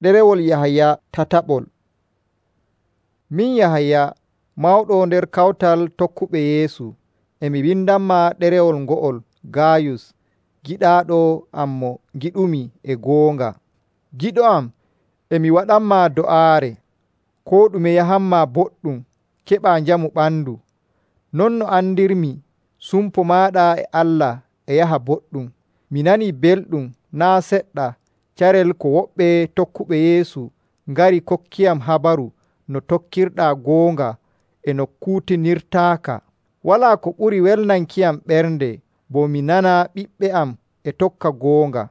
Ɗerewol Yahaya tataɓol. Min Yahaya, mawɗo nder kawtal tokkuɓe Yeesu, e mi windanma ɗerewol ngo'ol Gayus, giɗaaɗo am mo ngiɗumi e goonga. Giɗo am, e mi waɗanma do'aare, koo ɗume yahanma boɗɗum, keɓaa njamu ɓandu. Non no andirmi, sumpo maaɗa e Allah e yaha boɗɗum. Mi nanii belɗum naa' seɗɗa carel ko woɓɓe tokkuɓe Yeesu ngari kokkiyam habaru no tokkirɗaa goonga e no kuutinirtaaka. Walaa ko ɓuri welnankiyam ɓernde bo mi nana ɓiɓɓe am e tokka goonga.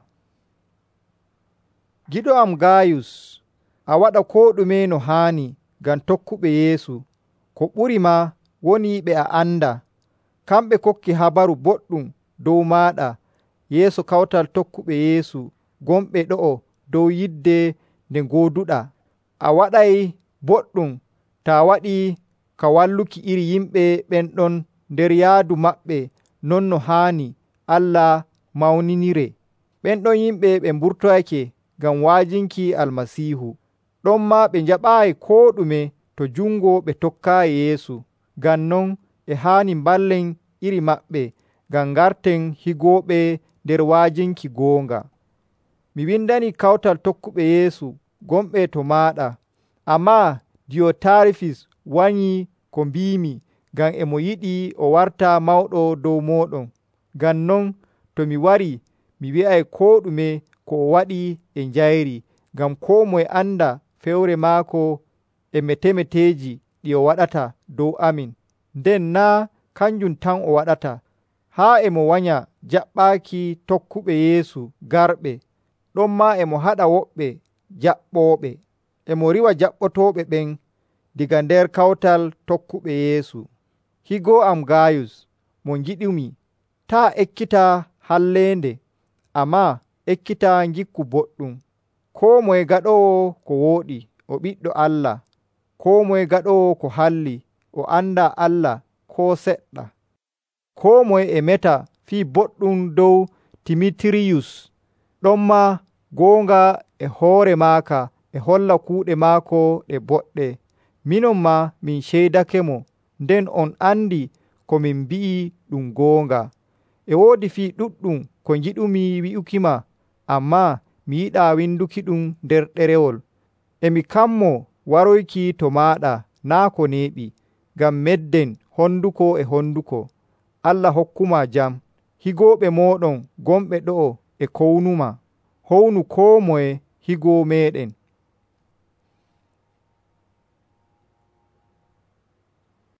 Giɗo am Gayus, a waɗa koo ɗume no haani ngam tokkuɓe Yeesu. Ko ɓuri maa woni ɓe a anda. Kamɓe kokki habaru boɗɗum dow maaɗa yeeso kawtal tokkuɓe Yeesu gonɓe ɗo'o dow yidde nde ngooduɗaa. A waɗay boɗɗum taa waɗii ka walluki iri yimɓe ɓen ɗon nder yaadu maɓɓe non no haani Allah mawninire. Ɓen ɗon yimɓe ɓe mburtoyake ngam wa'ajinki Almasiihu. Ɗonmaa ɓe njaɓaayi koo ɗume to jungo ɓe tokkaayi Yeesu. Ngam non e haani mballen iri maɓɓe ngam ngarten higooɓe nder wa'ajinki goonga. Mi windani kawtal tokkuɓe Yeesu gonɓe to maaɗa, ammaa Diyotarifis wanyii ko mbiimi ngam e mo yiɗi o warta mawɗo dow mooɗon. Ngam non to mi warii, mi wi'ay koo ɗume ko o waɗi e njayri, ngam koo moye anda fewre maako e metemeteeji ɗi o waɗata dow amin. Nden naa' kanjum tan o waɗata, haa e mo wanya jaɓɓaaki tokkuɓe Yeesu garɓe. Ɗonmaa e mo haɗa woɓɓe jaɓɓooɓe, e mo riiwa jaɓɓotooɓe ɓen diga nder kawtal tokkuɓe Yeesu. Higoo am Gayus, mo ngiɗumi, taa ekkita halleende, ammaa ekkita ngikku boɗɗum. Koo moye gaɗoowo ko wooɗi o ɓiɗɗo Allah. Koo moye gaɗoowo ko halli o andaa Allah koo seɗɗa. Koo moye e meta fii boɗɗum dow Timitiriyus. Ɗonmaa goonga e hoore maaka e holla kuuɗe maako ɗe boɗɗe. Minon maa min ceydakemo, nden on andi ko min mbi'i ɗum goonga. E woodi fii ɗuɗɗum ko ngiɗumi wi'ukima, ammaa mi yiɗaa winduki ɗum nder ɗerewol. E mi kammoo waroyki to maaɗa naa' ko neeɓi, ngam medden honduko e honduko. Allah hokkuma jam. Higooɓe mooɗon gonɓe ɗo'o e kownuma. Hownu koo moye higoo meeɗen.